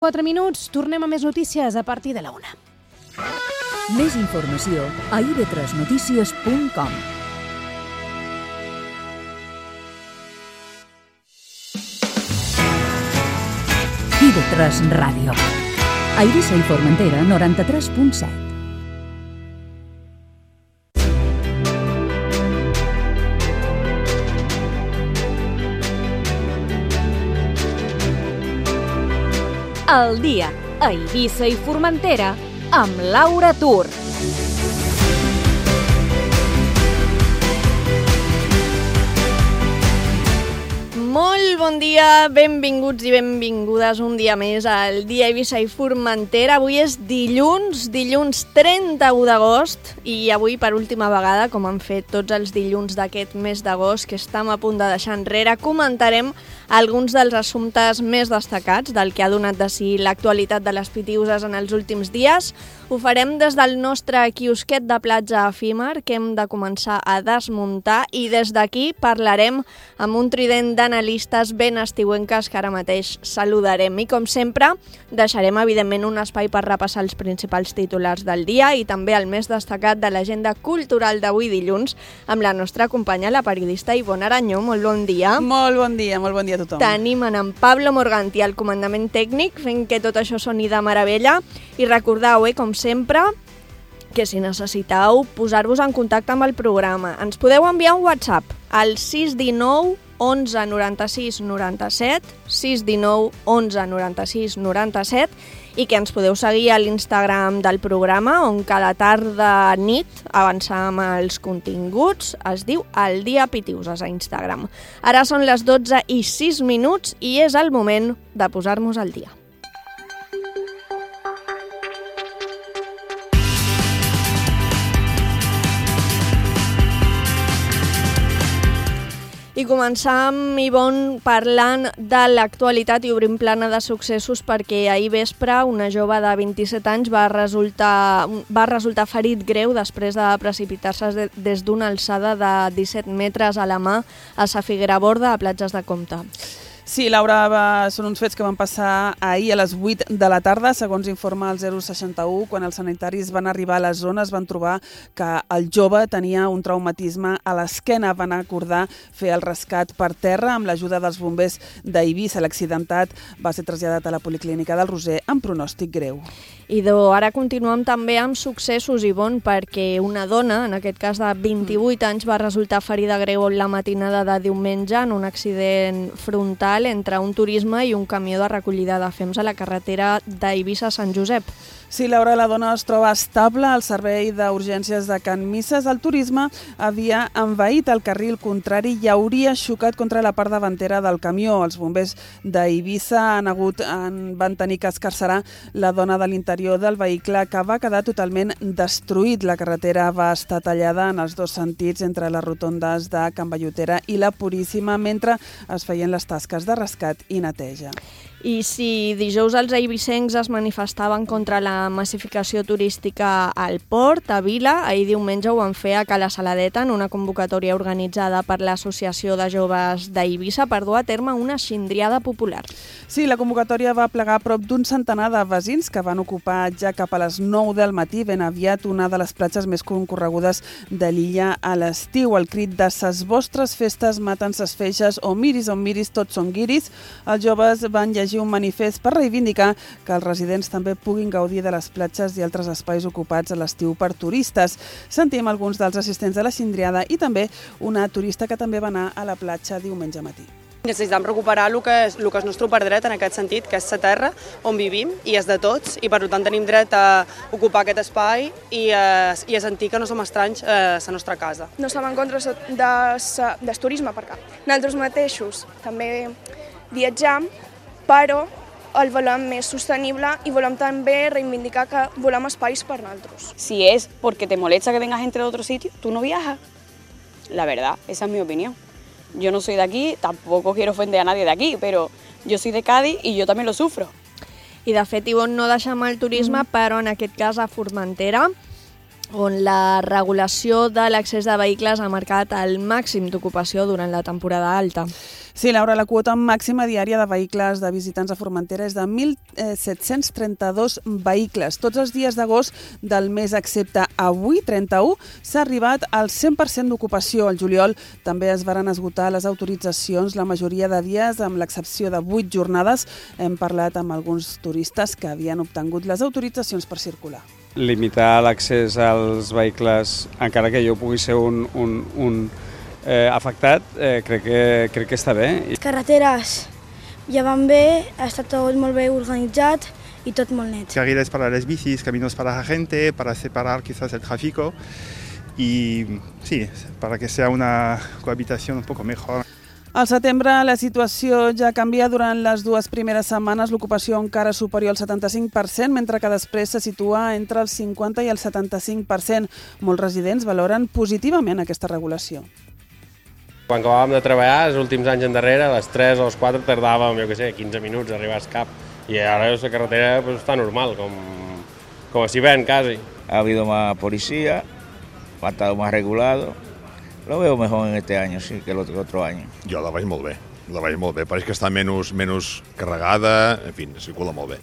4 minuts, tornem a més notícies a partir de la 1. Més informació a ib3notícies.com. IB3 Ràdio. A Eivissa i Formentera, 93.7. El dia a Eivissa i Formentera amb Laura Tur. Molt bon dia, benvinguts i benvingudes un dia més al dia a Eivissa i Formentera. Avui és dilluns 31 d'agost i avui per última vegada, com han fet tots els dilluns d'aquest mes d'agost que estem a punt de deixar enrere, comentarem alguns dels assumptes més destacats del que ha donat de si l'actualitat de les Pitiüses en els últims dies. Ho farem des del nostre quiosquet de platja efímer que hem de començar a desmuntar i des d'aquí parlarem amb un trident d'analistes ben estiuenques que ara mateix saludarem. I com sempre deixarem evidentment un espai per repassar els principals titulars del dia i també el més destacat de l'agenda cultural d'avui dilluns amb la nostra companya, la periodista Ivonne Aranyó. Molt bon dia. Molt bon dia a tothom. Tenim en Pablo Morganti al comandament tècnic fent que tot això soni de meravella i recordeu, com sempre, que si necessiteu posar-vos en contacte amb el programa ens podeu enviar un WhatsApp al 619 11 96 97 619 11 96 97 i que ens podeu seguir a l'Instagram del programa on cada tarda nit avançam els continguts. Es diu El Dia Pitiüses a Instagram. Ara són les 12:06 i és el moment de posar-nos al dia. I començam, Ivonne, parlant de l'actualitat i obrim plana de successos perquè ahir vespre una jove de 27 anys va resultar ferit greu després de precipitar-se des d'una alçada de 17 metres a la mà a Sa Figueraborda, a Platges de Comte. Sí, Laura, són uns fets que van passar ahir a les 8 de la tarda, segons informa el 061. Quan els sanitaris van arribar a la zona es van trobar que el jove tenia un traumatisme a l'esquena. Van acordar fer el rescat per terra amb l'ajuda dels bombers d'Eivissa. L'accidentat va ser traslladat a la Policlínica del Roser amb pronòstic greu. I ara continuem també amb successos, Ivonne, perquè una dona, en aquest cas de 28 anys, va resultar ferida greu la matinada de diumenge en un accident frontal entre un turisme i un camió de recollida de fems a la carretera d'Eivissa a Sant Josep. Sí, Laura, la dona es troba estable al servei d'urgències de Can Misses. El turisme havia envaït el carril contrari i hauria xocat contra la part davantera del camió. Els bombers d'Eivissa van tenir que escarcerar la dona de l'interior del vehicle, que va quedar totalment destruït. La carretera va estar tallada en els dos sentits entre les rotondes de Can Bellotera i la Puríssima mentre es feien les tasques de rescat i neteja. I si dijous els eivissencs es manifestaven contra la massificació turística al port, a Vila, ahir diumenge ho van fer a Cala Saladeta en una convocatòria organitzada per l'Associació de Joves d'Eivissa per dur a terme una xindriada popular. Sí, la convocatòria va plegar prop d'un centenar de veïns que van ocupar ja cap a les 9 del matí ben aviat una de les platges més concorregudes de l'illa a l'estiu. El crit de ses vostres festes maten ses feixes o miris on miris tots són guiris. Els joves van llegir un manifest per reivindicar que els residents també puguin gaudir de les platges i altres espais ocupats a l'estiu per turistes. Sentim alguns dels assistents de la xindriada i també una turista que també va anar a la platja diumenge matí. Necessitem recuperar el que és el nostre dret en aquest sentit, que és la terra on vivim i és de tots i per tant tenim dret a ocupar aquest espai i a sentir que no som estranys a la nostra casa. No estem en contra del turisme per cap. Nosaltres mateixos també viatjam, però el volem més sostenible y volem també reivindicar que volem espais per nosaltres. Si es porque te molesta que venga gente de otro sitio, tú no viajas. La verdad, esa es mi opinión. Yo no soy de aquí, tampoco quiero ofender a nadie de aquí, pero yo soy de Cádiz y yo también lo sufro. I de fet, Ivonne, no deixem el turisme, però en aquest cas a Formentera on la regulació de l'accés de vehicles ha marcat el màxim d'ocupació durant la temporada alta. Sí, Laura, la quota màxima diària de vehicles de visitants a Formentera és de 1.732 vehicles. Tots els dies d'agost del mes, excepte avui, 31, s'ha arribat al 100% d'ocupació. Al juliol també es varen esgotar les autoritzacions la majoria de dies, amb l'excepció de 8 jornades. Hem parlat amb alguns turistes que havien obtingut les autoritzacions per circular. Limitar l'accés als vehicles, encara que jo pugui ser un afectat, crec que està bé. Les carreteres ja van bé, ha estat tot molt bé organitzat y tot molt net. Carriles para las bicis, caminos para la gente, para separar quizás el tráfico y sí, para que sea una cohabitación un poco mejor. Al setembre la situació ja canvia. Durant les 2 primeres setmanes l'ocupació encara superior al 75%, mentre que després se situa entre el 50 i el 75%. Molts residents valoren positivament aquesta regulació. Quan acabàvem de treballar, els últims anys endarrere, a les 3 o les 4 tardàvem, 15 minuts a arribar al cap. I ara la carretera està normal, com si ven quasi. Ha habido más policía, ha estado más regulado. Lo veo mejor en este año, sí, que el otro año. Jo la veig molt bé. Pareix que està menys carregada, en fi, circula molt bé.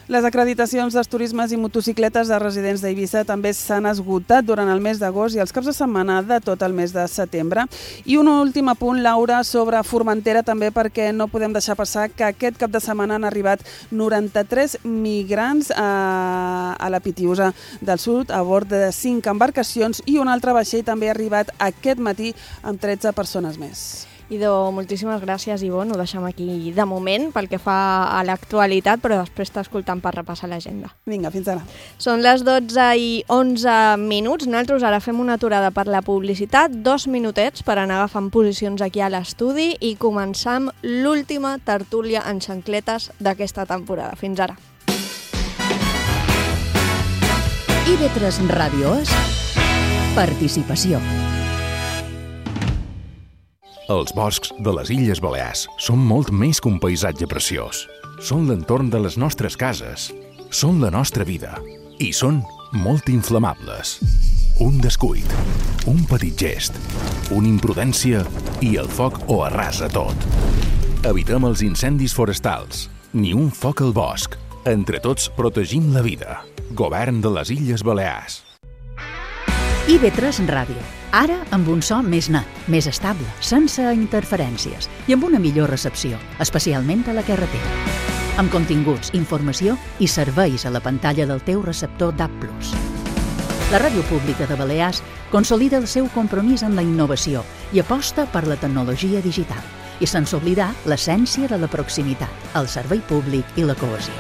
Les acreditacions dels turismes i motocicletes de residents d'Eivissa també s'han esgotat durant el mes d'agost i els caps de setmana de tot el mes de setembre. I un últim apunt, Laura, sobre Formentera també, perquè no podem deixar passar que aquest cap de setmana han arribat 93 migrants a la Pitiusa del Sud a bord de 5 embarcacions i un altre vaixell també ha arribat aquest matí amb 13 persones més. Idò, moltíssimes gràcies, Ivonne. Ho deixem aquí de moment pel que fa a l'actualitat, però després t'escoltam per repassar l'agenda. Vinga, fins ara. Són les 12:11 minuts. Nosaltres ara fem una aturada per la publicitat, 2 minutets per anar agafant posicions aquí a l'estudi i començar amb l'última tertúlia en xancletes d'aquesta temporada. Fins ara. IB3 Ràdio és participació. Els boscs de les Illes Balears són molt més que un paisatge preciós. Són l'entorn de les nostres cases, són la nostra vida i són molt inflamables. Un descuit, un petit gest, una imprudència i el foc ho arrasa tot. Evitem els incendis forestals, ni un foc al bosc. Entre tots protegim la vida. Govern de les Illes Balears. IB3 Ràdio. Ara amb un so més net, més estable, sense interferències i amb una millor recepció, especialment a la carretera. Amb continguts, informació i serveis a la pantalla del teu receptor DAB+. La Ràdio Pública de Balears consolida el seu compromís en la innovació i aposta per la tecnologia digital i sense oblidar l'essència de la proximitat, el servei públic i la cohesió.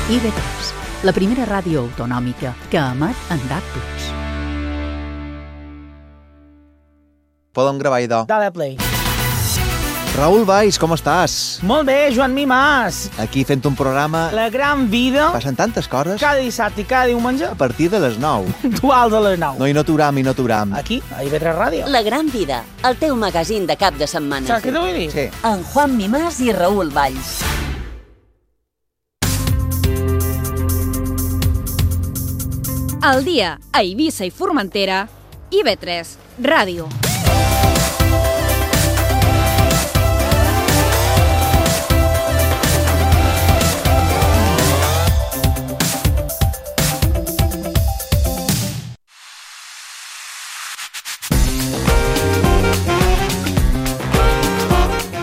IB3, la primera ràdio autonòmica que emet en DAB+. Podem gravar, idò. Dale play. Raül Valls, com estàs? Molt bé, Joan Mimàs. Aquí fent un programa... La gran vida. Passen tantes coses. Cada dissabte i cada diumenge. A partir de les 9. Dual de les 9. No, i no t'uram. Aquí, a IB3 Ràdio. La gran vida, el teu magazín de cap de setmana. Saps què t'ho vull dir? Sí. En Juan Mimàs i Raül Valls. Al dia, a Eivissa i Formentera, IB3 Ràdio.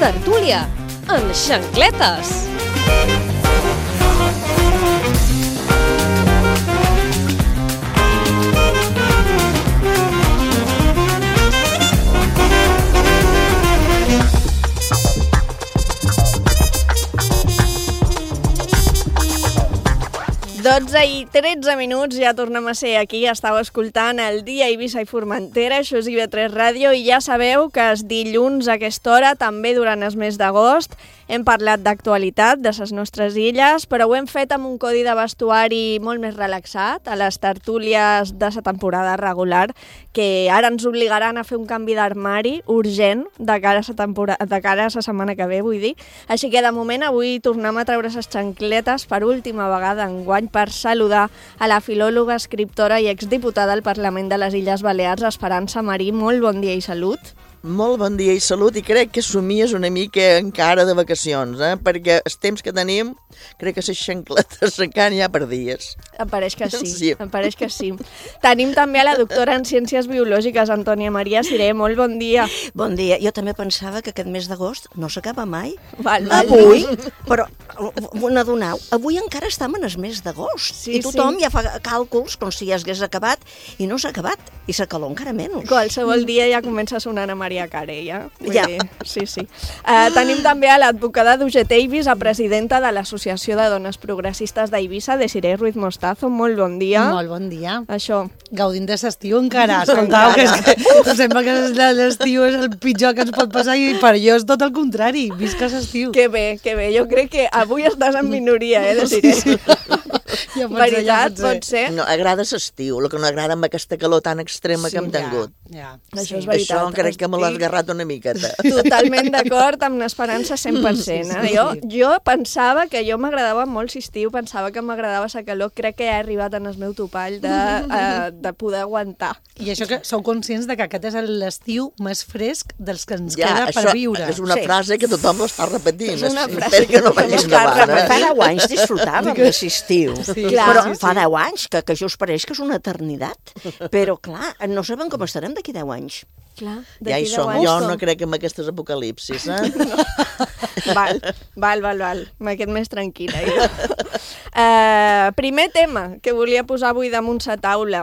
Tertúlia en xancletes. I 13 minuts, ja tornem a ser aquí. Estàu escoltant el dia Eivissa i Formentera, això és IB3 Ràdio, i ja sabeu que els dilluns a aquesta hora, també durant el mes d'agost, Hem parlat d'actualitat, de les nostres illes, però ho hem fet amb un codi de vestuari molt més relaxat, a les tertúlies de la temporada regular, que ara ens obligaran a fer un canvi d'armari urgent de cara a la setmana que ve, vull dir. Així que, de moment, avui tornem a treure les xancletes per última vegada enguany per saludar a la filòloga, escriptora i exdiputada al Parlament de les Illes Balears, Esperança Marí. Molt bon dia i salut. Molt bon dia i salut, i crec que somies una mica encara de vacacions, perquè els temps que tenim, crec que les xancletes s'encara hi ha per dies. Em pareix que sí, em pareix que sí. Tenim també a la doctora en Ciències Biològiques, Antònia Maria Siré. Molt bon dia. Bon dia. Jo també pensava que aquest mes d'agost no s'acaba mai. Avui, però n'adoneu, avui encara estem en el mes d'agost. I tothom ja fa càlculs com si ja s'hagués acabat, i no s'ha acabat, i la calor encara menys. Qualsevol dia ja comença sonant a Maria Carey, ja. Sí. Tenim també a l'advocada d'UGT Eivissa, presidenta de l'Associació de Dones Progressistes d'Eivissa, Desiree Ruiz Mostazo. Molt bon dia. Molt bon dia. Això. Gaudint de l'estiu encara. Escoltau, que sembla que l'estiu és el pitjor que ens pot passar i per jo és tot el contrari. Visca l'estiu. Que bé, que bé. Jo crec que avui estàs en minoria, Desiree? Sí. Veritat, pot ser? No, agrada l'estiu, el que no agrada amb aquesta calor tan extrema que hem tingut. Això és veritat. Això crec que me l'ha esgarrat una miqueta. Totalment d'acord amb l'Esperança 100%. Jo pensava que jo m'agradava molt l'estiu, pensava que m'agradava la calor, crec que he arribat en el meu topall de poder aguantar. I això que sou conscients de que aquest és l'estiu més fresc dels que ens queda per viure. És una frase que tothom l'està repetint. És una frase que no vagis davant. Fa 10 anys disfrutàvem de l'estiu. Però fa 10 anys, que jo us pareix que és una eternitat. Però, clar, no sabem com estarem d'aquí 10 anys. Clar, ja hi som. Jo no crec en aquestes apocalipsis, Val. M'he més tranquil·la. Primer tema que volia posar avui damunt la taula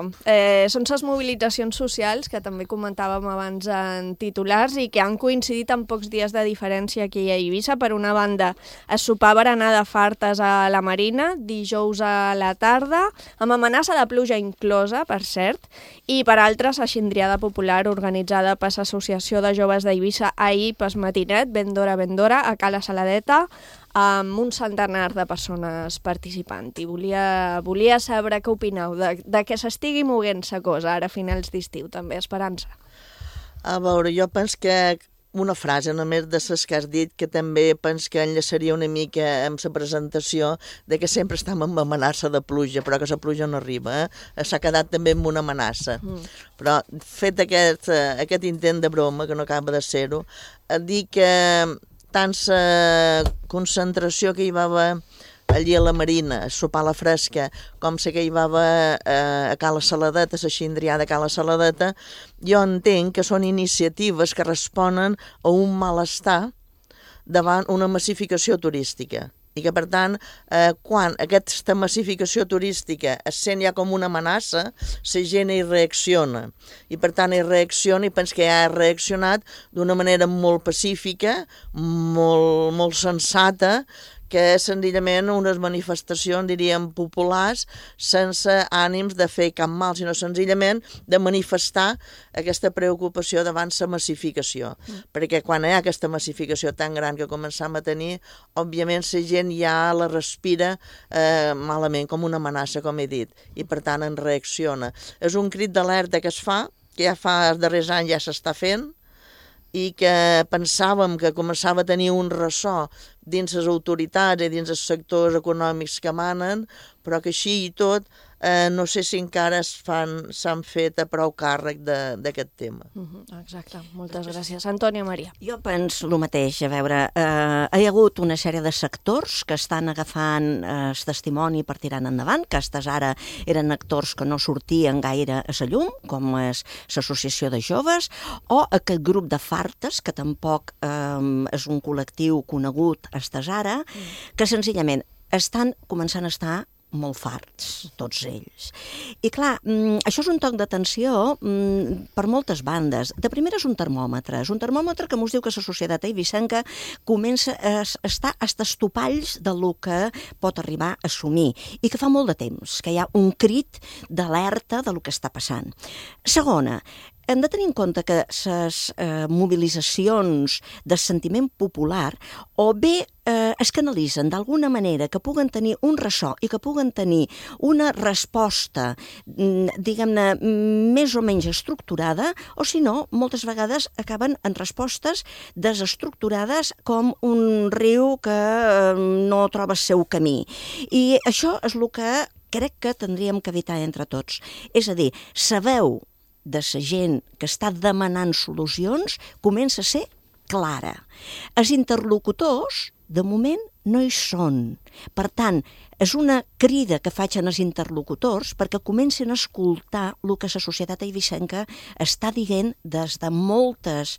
són les mobilitzacions socials, que també comentàvem abans en titulars, i que han coincidit en pocs dies de diferència aquí a Eivissa. Per una banda, el sopar berenar de fartes a la Marina, dijous a la tarda, amb amenaça de pluja inclosa, per cert, i per altres, la xindriada popular organitzada per l'Associació de Joves d'Eivissa ahir pel matinet, ben d'hora, a Cala Saladeta, amb un centenar de persones participant. I volia saber què opineu de que s'estigui moguent la cosa ara a finals d'estiu, també, Esperança. A veure, jo penso que una frase només de les que has dit, que també penso que enllaçaria una mica amb la presentació de que sempre estem amb amenaça de pluja, però que la pluja no arriba. S'ha quedat també amb una amenaça. Però fet aquest intent de broma, que no acaba de ser-ho, dir que tant la concentració que hi va haver allí a la Marina, a sopar a la fresca, com la que hi va haver a Cala Saladeta, a la xindriada a Cala Saladeta, jo entenc que són iniciatives que responen a un malestar davant una massificació turística. I que, per tant, quan aquesta massificació turística es sent ja com una amenaça, la gent hi reacciona. I, per tant, hi reacciona i penso que ja ha reaccionat d'una manera molt pacífica, molt sensata, que és senzillament unes manifestacions, diríem, populars, sense ànims de fer cap mal, sinó senzillament de manifestar aquesta preocupació davant la massificació. Perquè quan hi ha aquesta massificació tan gran que començam a tenir, òbviament la gent ja la respira malament, com una amenaça, com he dit, i per tant en reacciona. És un crit d'alerta que es fa, que ja fa els darrers anys ja s'està fent, i que pensàvem que començava a tenir un ressò dins les autoritats i dins els sectors econòmics que manen, però que així i tot no sé si encara s'han fet a prou càrrec d'aquest tema. Exacte, moltes gràcies. Antònia Maria. Jo penso el mateix, a veure, hi ha hagut una sèrie de sectors que estan agafant el testimoni per tirar endavant, que estes ara eren actors que no sortien gaire a la llum, com és l'Associació de Joves, o aquest grup de fartes, que tampoc és un col·lectiu conegut estes ara, que senzillament estan començant a estar molt farts, tots ells. I clar, això és un toc d'atenció per moltes bandes. De primera és un termòmetre que mos diu que la societat eivissenca comença a estar als topalls del que pot arribar a assumir i que fa molt de temps, que hi ha un crit d'alerta del que està passant. Segona, hem de tenir en compte que les mobilitzacions de sentiment popular o bé es canalitzen d'alguna manera que puguen tenir un ressò i que puguen tenir una resposta, diguem-ne, més o menys estructurada, o si no, moltes vegades acaben en respostes desestructurades com un riu que no troba el seu camí. I això és el que crec que tindríem que evitar entre tots. És a dir, sabeu de la gent que està demanant solucions comença a ser clara. Els interlocutors, de moment, no hi són. Per tant, és una crida que faig als interlocutors perquè comencin a escoltar el que la societat eivissenca està dient des de molts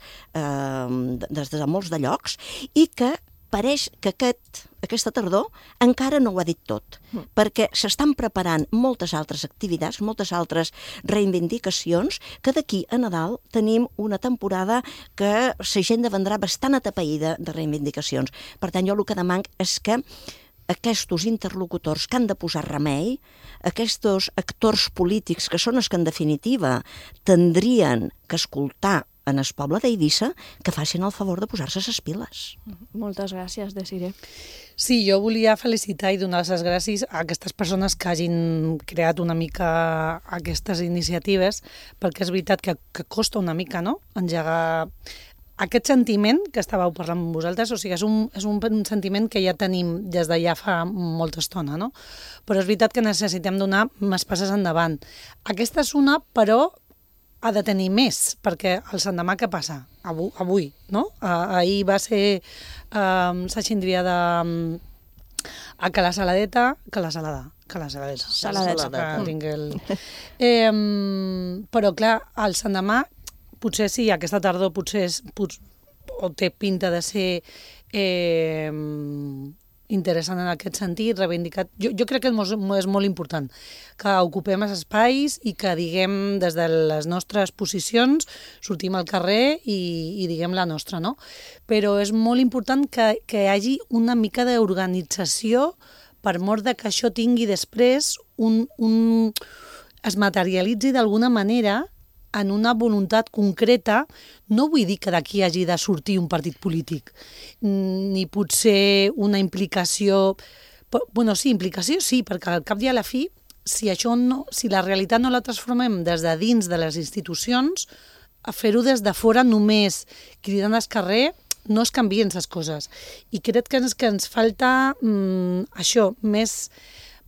de llocs i que pareix que aquesta tardor encara no ho ha dit tot, perquè s'estan preparant moltes altres activitats, moltes altres reivindicacions, que d'aquí a Nadal tenim una temporada que la gent vendrà bastant atapeïda de reivindicacions. Per tant, jo el que demanc és que aquests interlocutors que han de posar remei, aquests actors polítics que són els que en definitiva tindrien que escoltar en el poble d'Eivissa, que facin el favor de posar-se les piles. Moltes gràcies, Desiree. Sí, jo volia felicitar i donar les gràcies a aquestes persones que hagin creat una mica aquestes iniciatives, perquè és veritat que costa una mica, no?, engegar aquest sentiment que estàveu parlant amb vosaltres. O sigui, és un sentiment que ja tenim des de ja fa molta estona, no? Però és veritat que necessitem donar més passes endavant. Aquesta és una, però ha de tenir més, perquè el l'endemà què passa? Avui, no? Ahir va ser la xindria a Cala Saladeta, però clar, el l'endemà potser sí, aquesta tardor potser o té pinta de ser interessant en aquest sentit, reivindicat. Jo crec que és molt important que ocupem els espais i que diguem des de les nostres posicions, sortim al carrer i diguem la nostra, no? Però és molt important que hi hagi una mica d'organització per mort de que això tingui després es materialitzi d'alguna manera en una voluntat concreta. No vull dir que d'aquí hagi de sortir un partit polític, ni potser una implicació... Bueno, sí, implicació sí, perquè al cap i a la fi, si la realitat no la transformem des de dins de les institucions, a fer-ho des de fora només cridant al carrer, no es canvien les coses. I crec que ens falta això,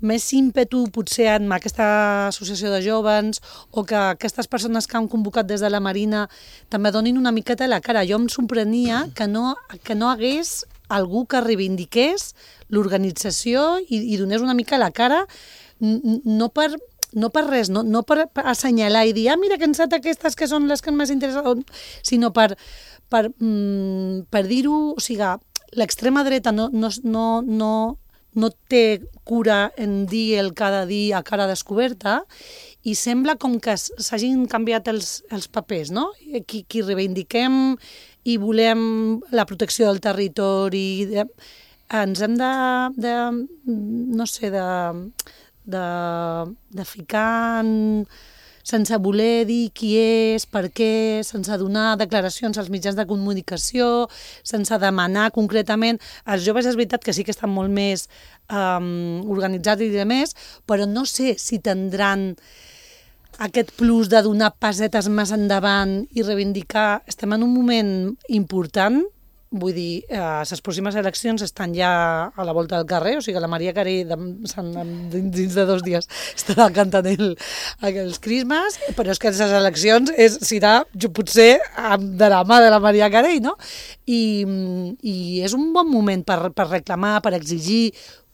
més ímpetu potser en aquesta associació de joves o que aquestes persones que han convocat des de la Marina també donin una miqueta la cara. Jo em sorprenia que no hagués algú que reivindiqués l'organització i donés una mica la cara, no per res, no per assenyalar i dir mira que han estat aquestes que són les que més interessen, sinó per dir-ho, o sigui, l'extrema dreta no té cura en dir el cada dia a cara descoberta i sembla com que s'hagin canviat els papers, no? Qui reivindiquem i volem la protecció del territori, ens hem de ficar sense voler dir qui és, per què, sense donar declaracions als mitjans de comunicació, sense demanar concretament. Els joves és veritat que sí que estan molt més organitzats i demés, però no sé si tindran aquest plus de donar passetes més endavant i reivindicar. Estem en un moment important, vull dir, les pròximes eleccions estan ja a la volta del carrer, o sigui, la Maria Carey dins de 2 dies estarà cantant els crismes, però és que les eleccions serà potser de la mà de la Maria Carey, no? I és un bon moment per reclamar, per exigir,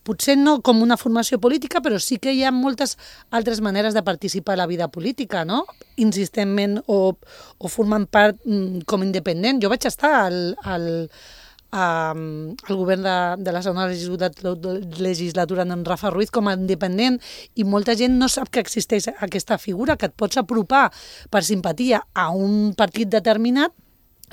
potser no com una formació política, però sí que hi ha moltes altres maneres de participar a la vida política, no? Insistentment o formant part com independent. Jo vaig estar al govern de la segona legislatura en Rafa Ruiz com a independent i molta gent no sap que existeix aquesta figura, que et pots apropar per simpatia a un partit determinat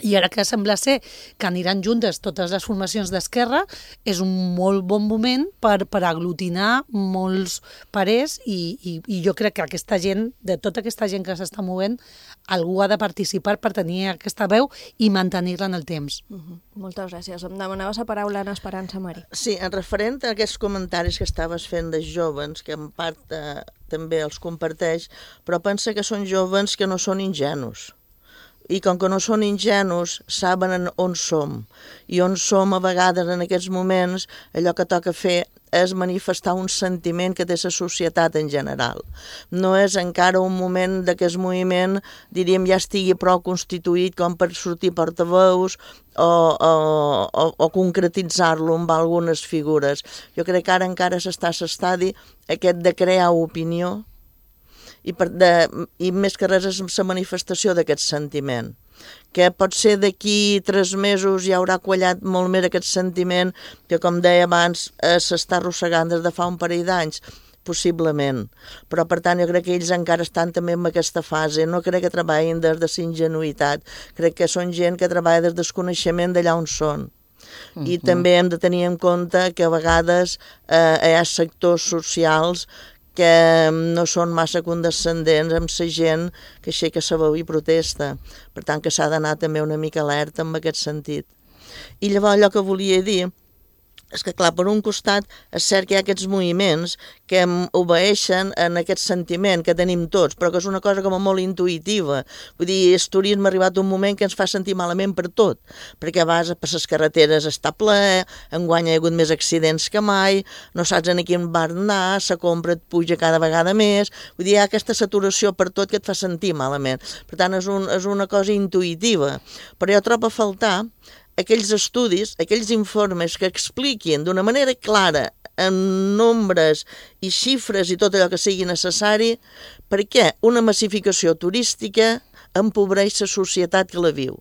I ara que sembla ser que aniran juntes totes les formacions d'esquerra, és un molt bon moment per aglutinar molts parers i jo crec que aquesta gent, de tota aquesta gent que s'està movent, algú ha de participar per tenir aquesta veu i mantenir-la en el temps. Moltes gràcies. Em demanaves la paraula en Esperança, Mari. Sí, en referent a aquests comentaris que estaves fent dels jovens, que en part també els comparteix, però pensa que són jovens que no són ingenus. I com que no són ingenus, saben on som. I on som a vegades en aquests moments, allò que toca fer és manifestar un sentiment que té la societat en general. No és encara un moment d'aquest moviment, diríem, ja estigui prou constituït com per sortir portaveus o concretitzar-lo amb algunes figures. Jo crec que ara encara s'està a l'estadi aquest de crear opinió, i més que res és la manifestació d'aquest sentiment, que pot ser d'aquí 3 mesos ja haurà quallat molt més aquest sentiment que, com deia abans, s'està arrossegant des de fa un parell d'anys, possiblement. Però, per tant, jo crec que ells encara estan també en aquesta fase. No crec que treballin des de la ingenuïtat. Crec que són gent que treballa des del desconeixement d'allà on són. I també hem de tenir en compte que a vegades hi ha sectors socials que no són massa condescendents amb la gent que aixeca la veu i protesta. Per tant, que s'ha d'anar també una mica alerta en aquest sentit. I llavors allò que volia dir és que, clar, per un costat és cert que hi ha aquests moviments que obeeixen en aquest sentiment que tenim tots, però que és una cosa com molt intuïtiva. Vull dir, el turisme ha arribat un moment que ens fa sentir malament per tot, perquè vas per les carreteres està ple, enguany hi ha hagut més accidents que mai, no saps en quin bar anar, la compra et puja cada vegada més, vull dir, hi ha aquesta saturació per tot que et fa sentir malament. Per tant, és una cosa intuïtiva, però jo trobo a faltar aquells estudis, aquells informes que expliquin d'una manera clara, en nombres i xifres i tot allò que sigui necessari, per què una massificació turística empobreix la societat que la viu.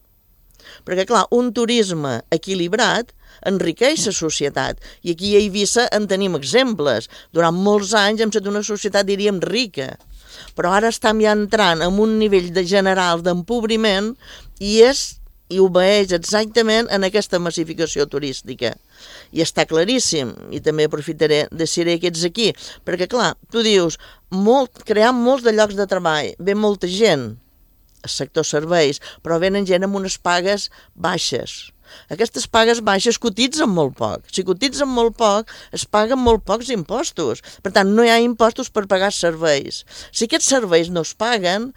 Perquè, clar, un turisme equilibrat enriqueix la societat. I aquí a Eivissa en tenim exemples. Durant molts anys hem estat una societat, diríem, rica. Però ara estem ja entrant en un nivell general d'empobriment i obeeix exactament en aquesta massificació turística. I està claríssim, i també aprofitaré de ser que ets aquí, perquè clar, tu dius, crear molts de llocs de treball, ve molta gent, al sector serveis, però venen gent amb unes pagues baixes. Aquestes pagues baixes cotitzen molt poc. Si cotitzen molt poc, es paguen molt pocs impostos. Per tant, no hi ha impostos per pagar serveis. Si aquests serveis no es paguen,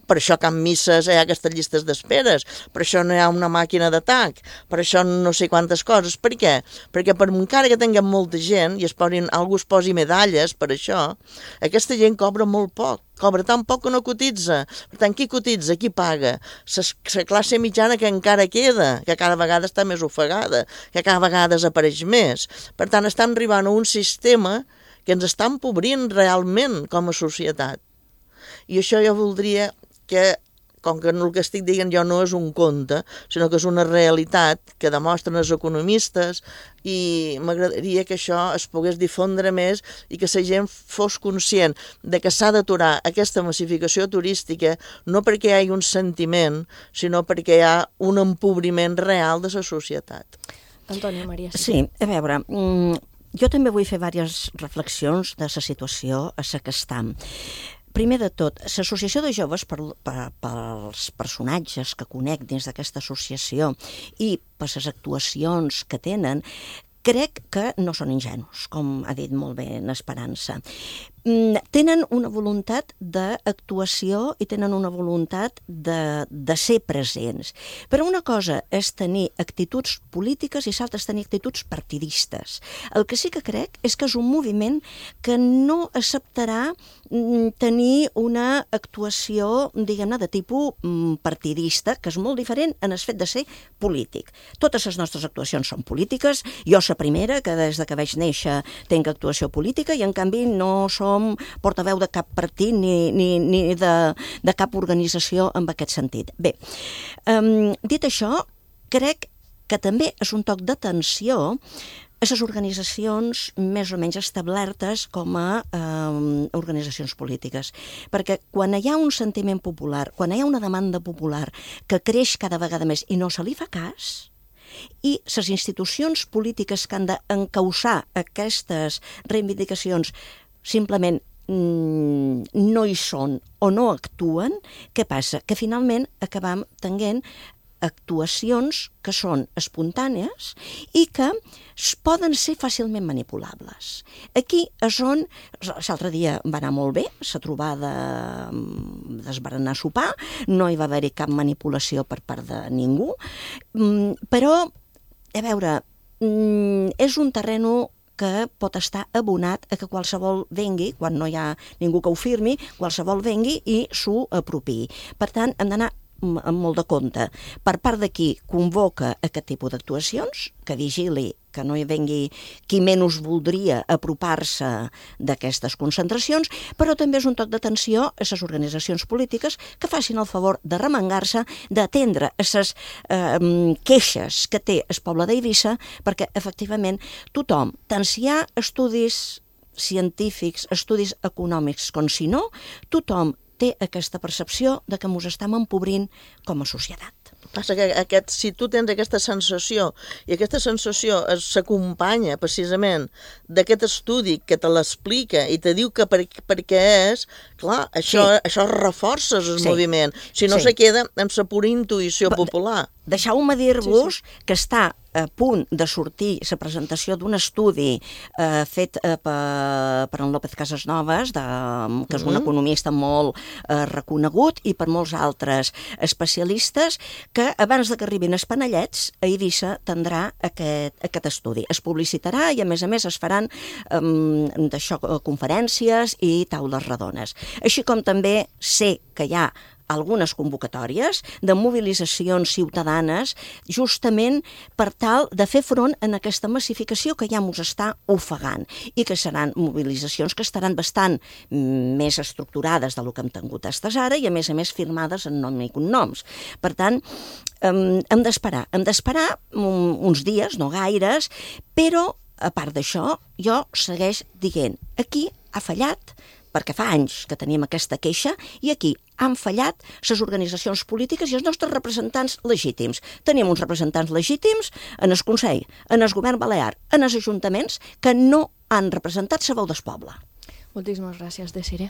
per això que en misses hi ha aquestes llistes d'esperes, per això no hi ha una màquina d'atac, per això no sé quantes coses. Per què? Perquè per encara que tinguem molta gent i algú es posi medalles per això, aquesta gent cobra molt poc. Cobra tan poc que no cotitza. Per tant, qui cotitza? Qui paga? La classe mitjana que encara queda, que cada vegada està més ofegada, que cada vegada desapareix més. Per tant, estem arribant a un sistema que ens està empobrint realment com a societat. I això jo voldria que, com que el que estic dient jo no és un conte, sinó que és una realitat que demostren els economistes, i m'agradaria que això es pogués difondre més i que la gent fos conscient de que s'ha d'aturar aquesta massificació turística no perquè hi hagi un sentiment, sinó perquè hi ha un empobriment real de la societat. Antònia Maria. Sí, a veure, jo també vull fer diverses reflexions de la situació a la que estem. Primer de tot, l'Associació de Joves, pels personatges que conec dins d'aquesta associació i per les actuacions que tenen, crec que no són ingenus, com ha dit molt bé en Esperança. Tenen una voluntat d'actuació i tenen una voluntat de ser presents. Però una cosa és tenir actituds polítiques i l'altra és tenir actituds partidistes. El que sí que crec és que és un moviment que no acceptarà tenir una actuació, diguem-ne, de tipus partidista, que és molt diferent en el fet de ser polític. Totes les nostres actuacions són polítiques. Jo la primera, que des que vaig néixer tinc actuació política, i en canvi no som portaveu de cap partit ni de cap organització en aquest sentit. Bé, dit això, crec que també és un toc d'atenció aquestes organitzacions més o menys establertes com a organitzacions polítiques. Perquè quan hi ha un sentiment popular, quan hi ha una demanda popular que creix cada vegada més i no se li fa cas, i les institucions polítiques que han d'encausar aquestes reivindicacions simplement no hi són o no actuen, què passa? Que finalment acabam tenint actuacions que són espontànies i que poden ser fàcilment manipulables. Aquí és on, l'altre dia va anar molt bé, la trobada d'esberenar sopar, no hi va haver-hi cap manipulació per part de ningú, però, a veure, és un terreno que pot estar abonat a que qualsevol vengui, quan no hi ha ningú que ho firmi, qualsevol vengui i s'ho apropiï. Per tant, hem d'anar amb molt de compte. Per part de qui convoca aquest tipus d'actuacions, que vigili que no hi vengui qui menys voldria apropar-se d'aquestes concentracions, però també és un toc d'atenció a les organitzacions polítiques que facin el favor de remengar-se, d'atendre les queixes que té el poble d'Eivissa, perquè efectivament tothom, tant si hi ha estudis científics, estudis econòmics com si no, tothom té aquesta percepció de que ens estem empobrint com a societat. Passa que si tu tens aquesta sensació, i aquesta sensació s'acompanya precisament d'aquest estudi que te l'explica i te diu que per què és, clar, això reforça el moviment. Si no se queda amb la pura intuïció popular. Deixeu-me dir-vos que està a punt de sortir la presentació d'un estudi fet per en López Casasnovas, que és un economista molt reconegut, i per molts altres especialistes, que abans que arribin els panellets, a Eivissa tindrà aquest estudi. Es publicitarà i, a més es faran conferències i taules redones. Així com també sé que hi ha algunes convocatòries de mobilitzacions ciutadanes justament per tal de fer front a aquesta massificació que ja ens està ofegant i que seran mobilitzacions que estaran bastant més estructurades del que hem tingut fins ara i a més firmades en nom i cognoms. Per tant, hem d'esperar uns dies, no gaires, però a part d'això jo segueix dient aquí ha fallat, perquè fa anys que tenim aquesta queixa, i aquí han fallat les organitzacions polítiques i els nostres representants legítims. Tenim uns representants legítims en el Consell, en el Govern Balear, en els ajuntaments, que no han representat la veu del poble. Moltíssimes gràcies, Desiree.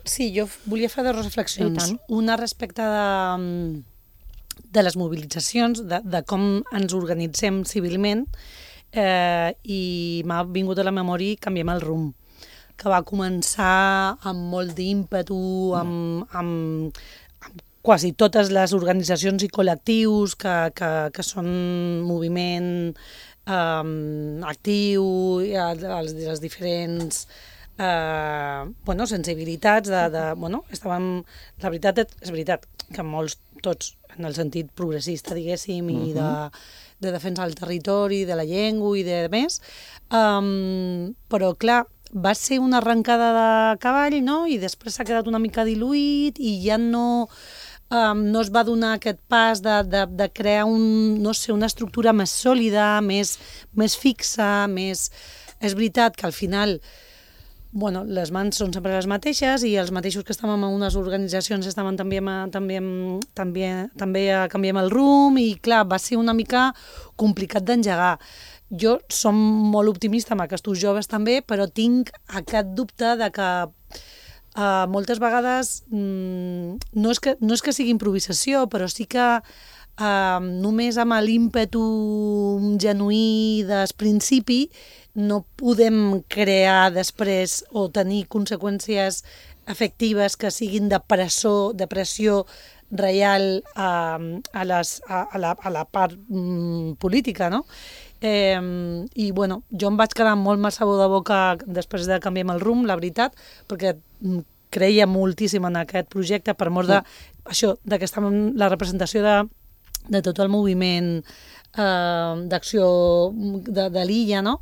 Sí, jo volia fer dues reflexions. Una respecte de les mobilitzacions, de com ens organitzem civilment, i m'ha vingut a la memòria Canviem el rumb, que va començar amb molt d'ímpetu, amb quasi totes les organitzacions i col·lectius que són moviment actiu, les diferents sensibilitats. La veritat és veritat que molts, tots, en el sentit progressista, diguéssim, i de defensa del territori, de la llengua i de més, però clar, va ser una arrencada de cavall, no? I després s'ha quedat una mica diluït i ja no es va donar aquest pas de crear una estructura més sòlida, més fixa, més... És veritat que al final les mans són sempre les mateixes i els mateixos que estàvem en unes organitzacions estaven també a Canviem el rumb i clar, va ser una mica complicat d'engegar. Jo som molt optimista amb aquests joves també, però tinc aquest dubte de que moltes vegades no és que sigui improvisació, però sí que només amb l'ímpetu genuí del principi no podem crear després o tenir conseqüències efectives que siguin de pressió real a la part política, no? I jo em vaig quedar molt mal sabor de boca després de Canviem el rumb, la veritat, perquè creia moltíssim en aquest projecte per mort que estava en la representació de tot el moviment d'acció de l'illa, no?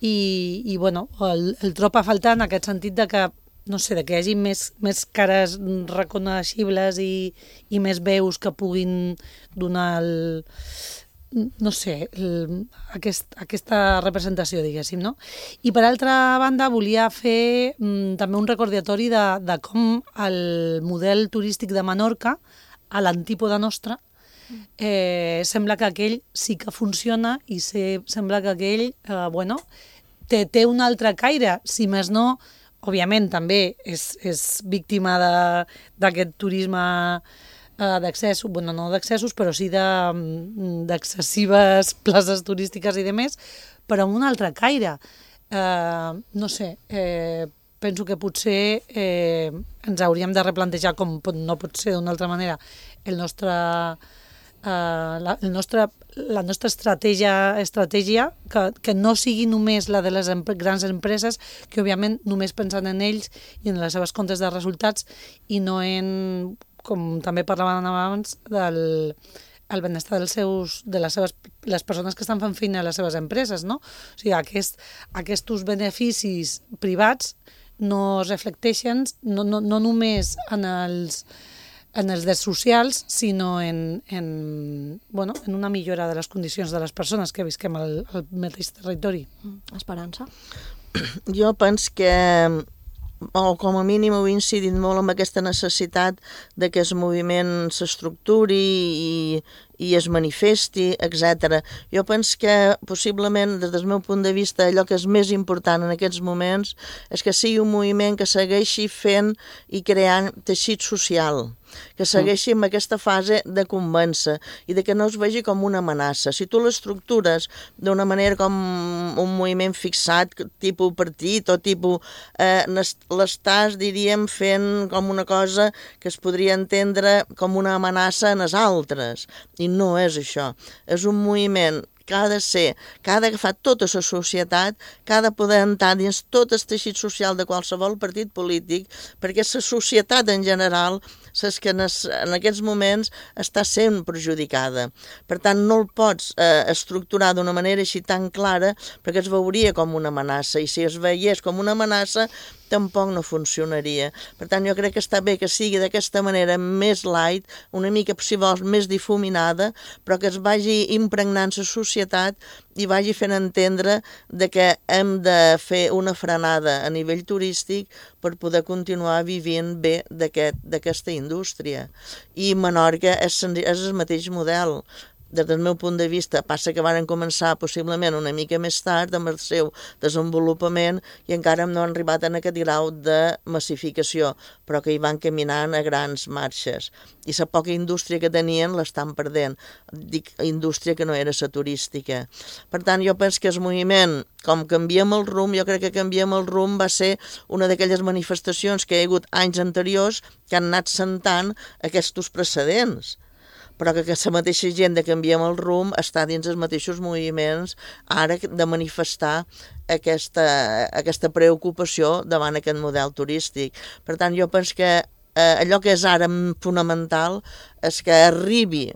I el trob a faltar en aquest sentit de que no sé, que hi hagi més cares reconeixibles i més veus que puguin donar no sé, aquesta representació, diguéssim, no? I per altra banda volia fer també un recordatori de com el model turístic de Menorca, a l'antípoda nostra, sembla que aquell sí que funciona i sembla que aquell, té un altre caire, si més no, òbviament també és víctima d'aquest turisme d'accessos, no d'accessos, però sí d'excessives places turístiques i demés, però amb un altre caire. No sé, penso que potser ens hauríem de replantejar, com no pot ser d'una altra manera, la nostra estratègia, que no sigui només la de les grans empreses, que òbviament només pensen en ells i en les seves comptes de resultats i no en, com també parlàvem abans, del benestar de les persones que estan fent feina a les seves empreses, no? O sigui, aquests beneficis privats no es reflecteixen no només en els drets socials, sinó en una millora de les condicions de les persones que visquem al mateix territori. Esperança? Jo penso que, o com a mínim heu incidit molt en aquesta necessitat de que el moviment s'estructuri i es manifesti, etc. Jo penso que possiblement, des del meu punt de vista, allò que és més important en aquests moments és que sigui un moviment que segueixi fent i creant teixit social, que segueixi amb aquesta fase de convèncer i de que no es vegi com una amenaça. Si tu l'estructures d'una manera com un moviment fixat, tipus partit o tipus... l'estàs, diríem, fent com una cosa que es podria entendre com una amenaça en els altres. I no és això. És un moviment que ha d'agafar tota la societat, que ha de poder entrar dins tot el teixit social de qualsevol partit polític, perquè la societat en general és que en aquests moments està sent perjudicada. Per tant, no el pots estructurar d'una manera així tan clara perquè es veuria com una amenaça, i si es veiés com una amenaça tampoc no funcionaria. Per tant, jo crec que està bé que sigui d'aquesta manera més light, una mica, si vols, més difuminada, però que es vagi impregnant la societat i vagi fent entendre de que hem de fer una frenada a nivell turístic per poder continuar vivint bé d'aquesta indústria. I Menorca és el mateix model. Des del meu punt de vista, passa que van començar possiblement una mica més tard amb el seu desenvolupament i encara no han arribat en aquest grau de massificació, però que hi van caminant a grans marxes. I la poca indústria que tenien l'estan perdent. Dic indústria que no era la turística. Per tant, jo penso que el moviment, com canviem el rumb, jo crec que canviem el rumb va ser una d'aquelles manifestacions que hi ha hagut anys anteriors que han anat sentant aquests precedents, però que la mateixa gent de canviem el rumb està dins els mateixos moviments ara de manifestar aquesta preocupació davant aquest model turístic. Per tant, jo penso que allò que és ara fonamental és que arribi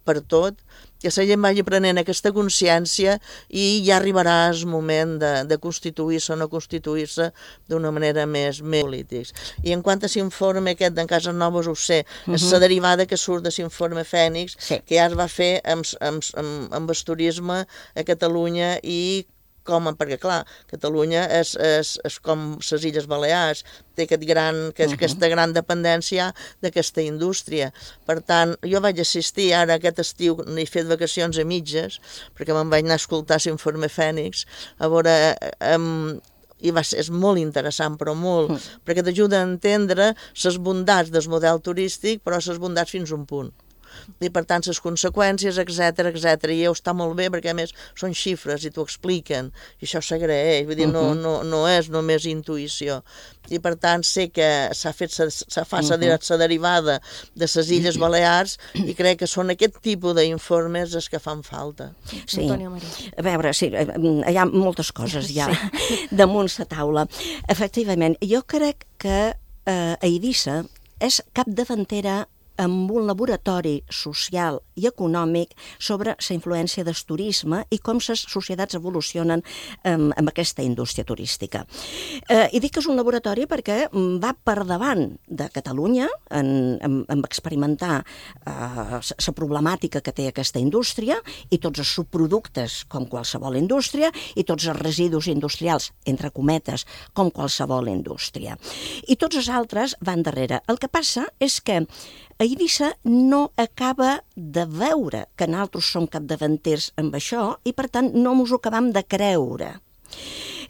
per tot, que la gent vagi prenent aquesta consciència i ja arribarà el moment de constituir-se o no constituir-se d'una manera més política. I en quant a l'informe aquest d'en Cases Noves ho sé, és la derivada que surt de l'informe Fènix, que ja es va fer amb el turisme a Catalunya i perquè, clar, Catalunya és com les Illes Balears, té aquesta gran dependència d'aquesta indústria. Per tant, jo vaig assistir ara aquest estiu, n'he fet vacacions a mitges, perquè me'n vaig anar a escoltar l'informe Fènix, a veure... és molt interessant, però molt, perquè t'ajuda a entendre les bondats del model turístic, però les bondats fins a un punt. I per tant les conseqüències, etc. I està molt bé perquè a més són xifres i t'ho expliquen i això s'agraeix, vull dir, no és només intuïció. I per tant sé que s'ha fet la derivada de les Illes Balears i crec que són aquest tipus d'informes els que fan falta. Sí, a veure, sí, hi ha moltes coses ja damunt la taula. Efectivament, jo crec que Eivissa és capdavantera amb un laboratori social i econòmic sobre la influència del turisme i com les societats evolucionen amb aquesta indústria turística. I dic que és un laboratori perquè va per davant de Catalunya en experimentar la problemàtica que té aquesta indústria i tots els subproductes com qualsevol indústria i tots els residus industrials, entre cometes, com qualsevol indústria. I tots els altres van darrere. El que passa és que a Eivissa no acaba de veure que nosaltres som capdavanters amb això i, per tant, no ens ho acabam de creure.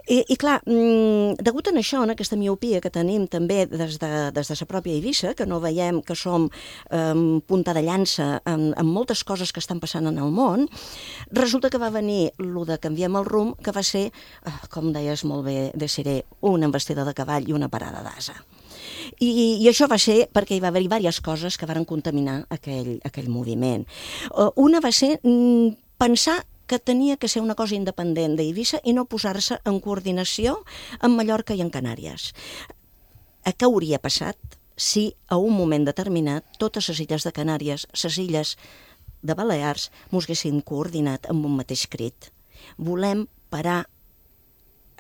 I clar, degut a això, en aquesta miopia que tenim també des de la pròpia Eivissa, que no veiem que som punta de llança en moltes coses que estan passant en el món, resulta que va venir el de Canviem el rumb, que va ser, com deies molt bé, Desiree, una embestida de cavall i una parada d'asa. I això va ser perquè hi va haver diverses coses que van contaminar aquell moviment. Una va ser pensar que tenia que ser una cosa independent d'Eivissa i no posar-se en coordinació amb Mallorca i en Canàries. Què hauria passat si a un moment determinat totes les illes de Canàries, les illes de Balears, mos haguessin coordinat amb un mateix crit? Volem parar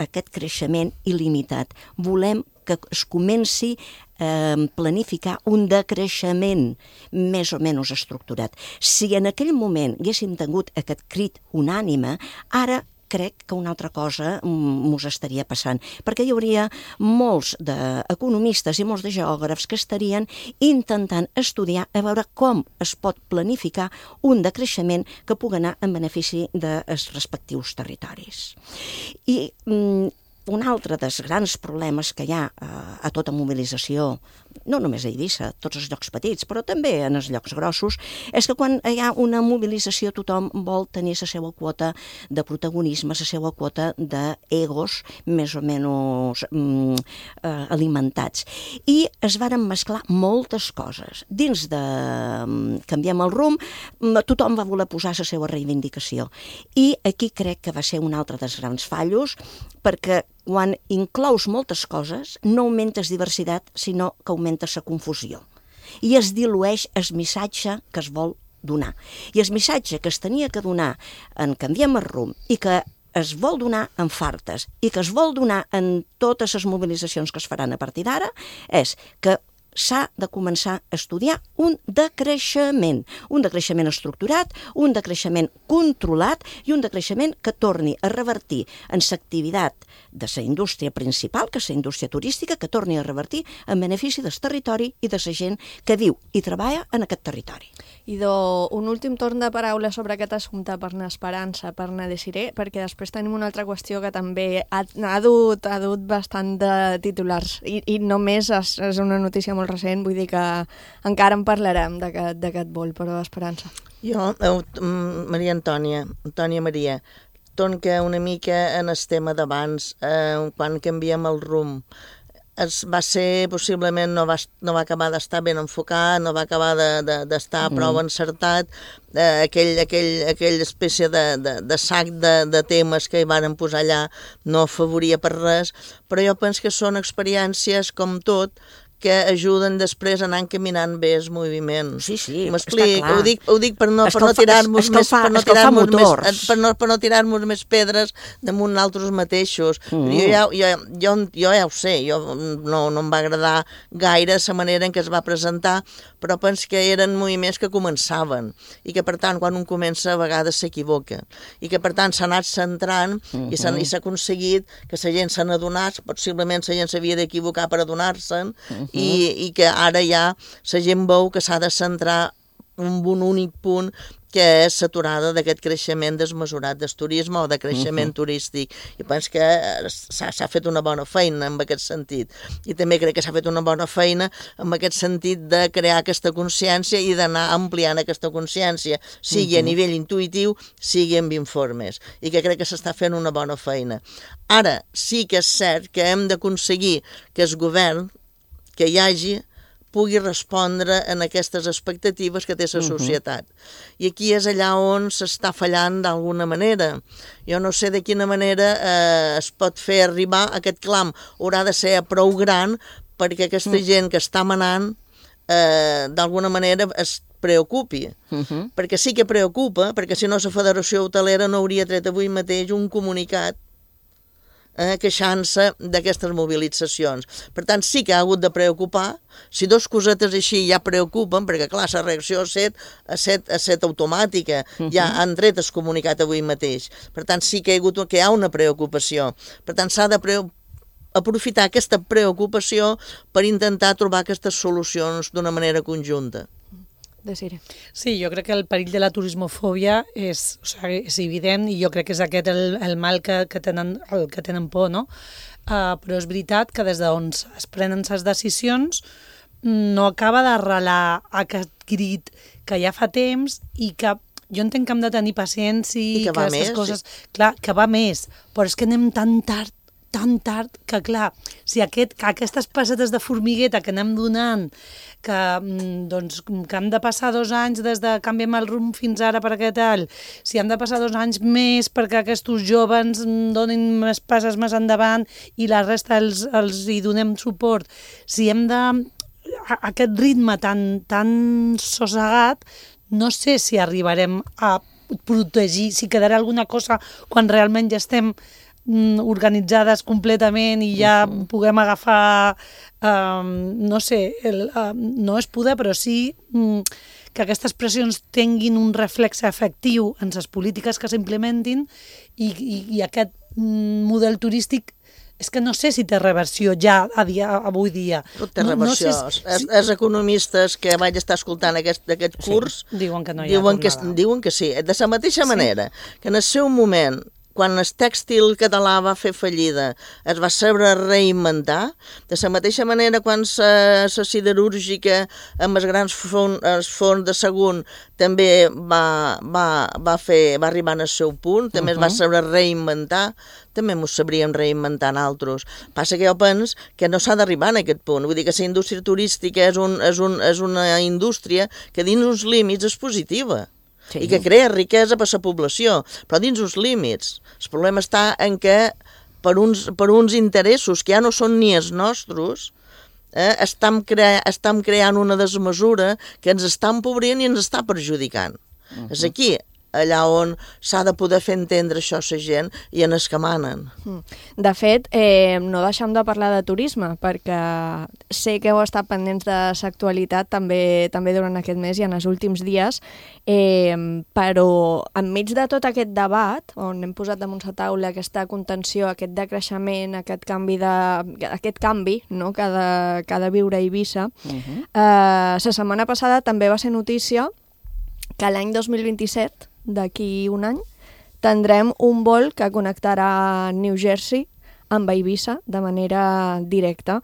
aquest creixement il·limitat. Volem que es comenci a planificar un decreixement més o menys estructurat. Si en aquell moment haguéssim tingut aquest crit unànime, ara crec que una altra cosa ens estaria passant, perquè hi hauria molts d'economistes i molts de geògrafs que estarien intentant estudiar a veure com es pot planificar un decreixement que pugui anar en benefici dels respectius territoris. I un altre dels grans problemes que hi ha a tota mobilització, no només a Eivissa, tots els llocs petits, però també en els llocs grossos, és que quan hi ha una mobilització tothom vol tenir la seva quota de protagonisme, la seva quota d'egos més o menys alimentats. I es varen mesclar moltes coses. Dins de Canviem el rumb, tothom va voler posar la seva reivindicació. I aquí crec que va ser un altre dels grans fallos, perquè quan inclous moltes coses, no augmentes diversitat, sinó que augmentes la confusió. I es dilueix el missatge que es vol donar. I el missatge que es tenia que donar en Canviem el rumb i que es vol donar en Fartes i que es vol donar en totes les mobilitzacions que es faran a partir d'ara és que s'ha de començar a estudiar un decreixement estructurat, un decreixement controlat i un decreixement que torni a revertir en l'activitat de la indústria principal, que és la indústria turística, que torni a revertir en benefici del territori i de la gent que viu i treballa en aquest territori. Idò, un últim torn de paraula sobre aquest assumpte per anar Esperança, per anar Desiree, perquè després tenim una altra qüestió que també ha dut bastant de titulars i només és una notícia molt recent, vull dir que encara en parlarem d'aquest vol, però Esperança. Jo, Maria Antònia Maria, torna una mica en el tema d'abans, quan Canviem el rumb, va ser, possiblement, no va acabar d'estar ben enfocat, no va acabar d'estar prou encertat, aquella espècie de sac de temes que hi varen posar allà no afavoria per res, però jo penso que són experiències, com tot, que ajuden després a anar encaminant bé el moviment. Sí, m'explic, ho dic per no tirar-nos més pedres damunt nosaltres mateixos. Jo ja ho sé, no em va agradar gaire la manera en què es va presentar, però penso que eren moviments que començaven i que, per tant, quan un comença, a vegades s'equivoca. I que, per tant, s'ha anat centrant i s'ha aconseguit que la gent se n'adonés, possiblement la gent s'havia d'equivocar per adonar-se'n, i que ara ja la gent veu que s'ha de centrar en un únic punt, que és l'aturada d'aquest creixement desmesurat del turisme o de creixement turístic. I penso que s'ha fet una bona feina en aquest sentit. I també crec que s'ha fet una bona feina en aquest sentit de crear aquesta consciència i d'anar ampliant aquesta consciència, sigui a nivell intuïtiu, sigui amb informes. I que crec que s'està fent una bona feina. Ara, sí que és cert que hem d'aconseguir que el govern que hi hagi pugui respondre en aquestes expectatives que té la societat. I aquí és allà on s'està fallant d'alguna manera. Jo no sé de quina manera es pot fer arribar aquest clam. Haurà de ser prou gran perquè aquesta gent que està manant d'alguna manera es preocupi, perquè sí que preocupa, perquè si no la Federació Hotelera no hauria tret avui mateix un comunicat queixant-se d'aquestes mobilitzacions. Per tant, sí que ha hagut de preocupar. Si dos cosetes així ja preocupen, perquè clar, la reacció ha set automàtica, ja han tret el comunicat avui mateix. Per tant, sí que hi ha una preocupació. Per tant, s'ha de aprofitar aquesta preocupació per intentar trobar aquestes solucions d'una manera conjunta. Sí, jo crec que el perill de la turismofòbia és evident i jo crec que és aquest el mal que tenen por, no? Però és veritat que des d'on es prenen les decisions no acaba d'arrelar aquest crit que ja fa temps i que jo entenc que hem de tenir paciència i que va més. Coses, clar, que va més, però és que anem tan tard que, clar, si aquestes passetes de formigueta que anem donant, que hem de passar 2 anys des de canviem el rumb fins ara perquè tal, si hem de passar 2 anys més perquè aquests joves donin més passes més endavant i la resta els hi donem suport, si hem de... aquest ritme tan sossegat, no sé si arribarem a protegir, si quedarà alguna cosa quan realment ja estem organitzades completament i ja puguem agafar, no sé, no és poder, però sí que aquestes pressions tinguin un reflex efectiu en les polítiques que s'implementin i aquest model turístic és que no sé si té reversió ja avui dia. Té reversió. Els economistes que vaig estar escoltant aquest curs diuen que no hi ha tornada. Diuen que sí. De la mateixa manera que en el seu moment, quan el tèxtil català va fer fallida, es va saber reinventar, de la mateixa manera quan la siderúrgica amb els grans forns de Sagunt també va arribar al seu punt, també es va saber reinventar, també ens sabríem reinventar nosaltres. Passa que jo penso que no s'ha d'arribar a aquest punt. Vull dir que la indústria turística és una indústria que dins uns límits és positiva. I que crea riquesa per la població, però dins uns límits. El problema està en que per uns interessos que ja no són ni els nostres, estem creant una desmesura que ens està empobrint i ens està perjudicant. És aquí allà on s'ha de poder fer entendre això a la gent i en els que manen. De fet, no deixem de parlar de turisme, perquè sé que heu estat pendents de l'actualitat també durant aquest mes i en els últims dies, però enmig de tot aquest debat, on hem posat damunt la taula aquesta contenció, aquest decreixement, aquest canvi no, que ha de viure a Eivissa, la setmana passada també va ser notícia que l'any 2027, d'aquí un any, tindrem un vol que connectarà New Jersey amb Eivissa de manera directa.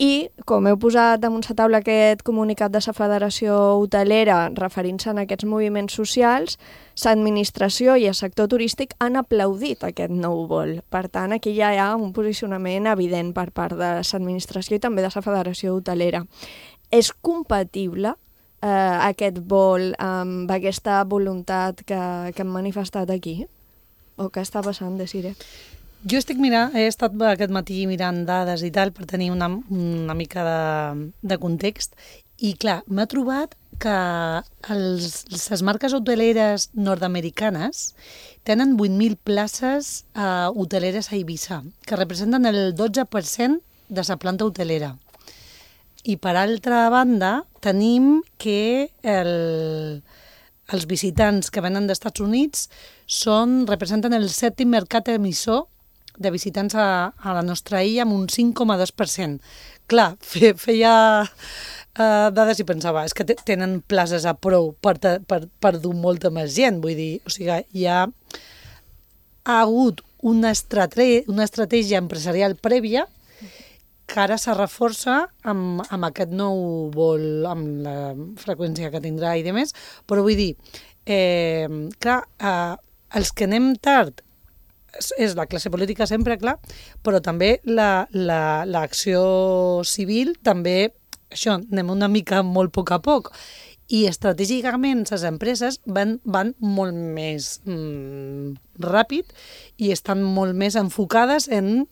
I, com heu posat damunt la taula aquest comunicat de la Federació Hotelera referint-se a aquests moviments socials, l'administració i el sector turístic han aplaudit aquest nou vol. Per tant, aquí ja hi ha un posicionament evident per part de l'administració i també de la Federació Hotelera. És compatible aquest vol amb aquesta voluntat que hem manifestat aquí? O què està passant, Desiree? Jo he estat aquest matí mirant dades i tal per tenir una mica de context i clar, m'he trobat que les marques hoteleres nord-americanes tenen 8.000 places hoteleres a Eivissa, que representen el 12% de la planta hotelera. I per altra banda, tenim que els visitants que venen dels Estats Units representen el 7è mercat emissor de visitants a la nostra illa amb un 5,2%. Clar, feia dades i pensava, és que tenen places a prou per dur molta més gent, vull dir, o sigui, ha hagut una estratègia empresarial prèvia que ara se reforça amb aquest nou vol, amb la freqüència que tindrà i demés, però vull dir, clar, els que anem tard és la classe política sempre, clar, però també l'acció civil, també, això, anem una mica molt a poc, i estratègicament les empreses van molt més ràpid i estan molt més enfocades en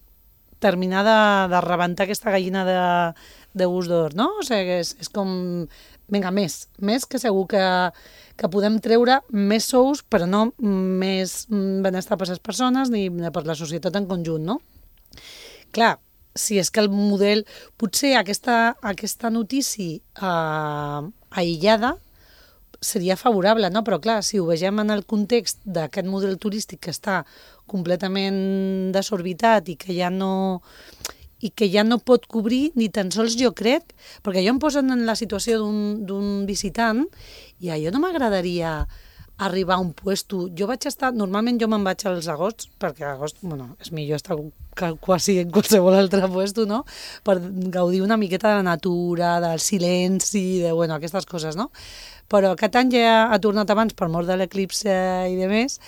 terminar de rebentar aquesta gallina de gust d'or, no? O sigui, és com, vinga, més que segur que podem treure més sous, però no més benestar per les persones ni per la societat en conjunt, no? Clar, si és que el model... Potser aquesta notícia aïllada seria favorable, no? Però clar, si ho vegem en el context d'aquest model turístic que està completament desorbitat i que ja no pot cobrir ni tan sols, jo crec, perquè jo em poso en la situació d'un visitant i a jo no m'agradaria arribar a un puesto. Jo vaig estar... Normalment jo me'n vaig als agosts, perquè agost, bueno, és millor estar quasi en qualsevol altre puesto, no? Per gaudir una miqueta de la natura, del silenci, de, bueno, aquestes coses, no? Però aquest any ja ha tornat abans per mort de l'eclipse i de més,